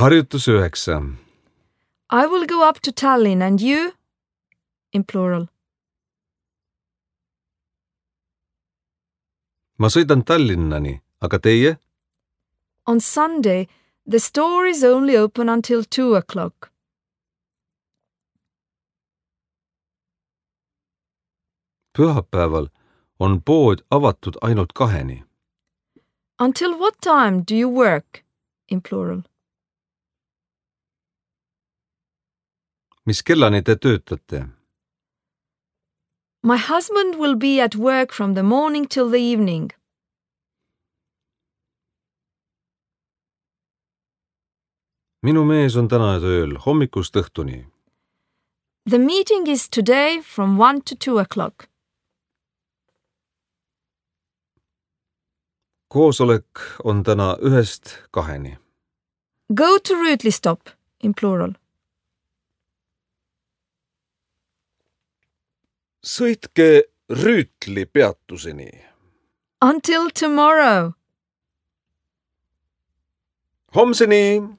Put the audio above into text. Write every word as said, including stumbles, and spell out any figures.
Harjutus üheksa. I will go up to Tallinn and you? In plural. Ma sõidan Tallinnani, aga teie? On Sunday, the store is only open until two o'clock. Pühapäeval on pood avatud ainult kaheni. Until what time do you work? In plural. Mis kellani te töötate? My husband will be at work from the morning till the evening. Minu mees on täna tööl hommikust õhtuni. The meeting is today from one to two o'clock. Koosolek on täna ühest kaheni. Go to Rüütli stop, in plural. Sõitke Rüütli peatuseni. Until tomorrow. Homseni!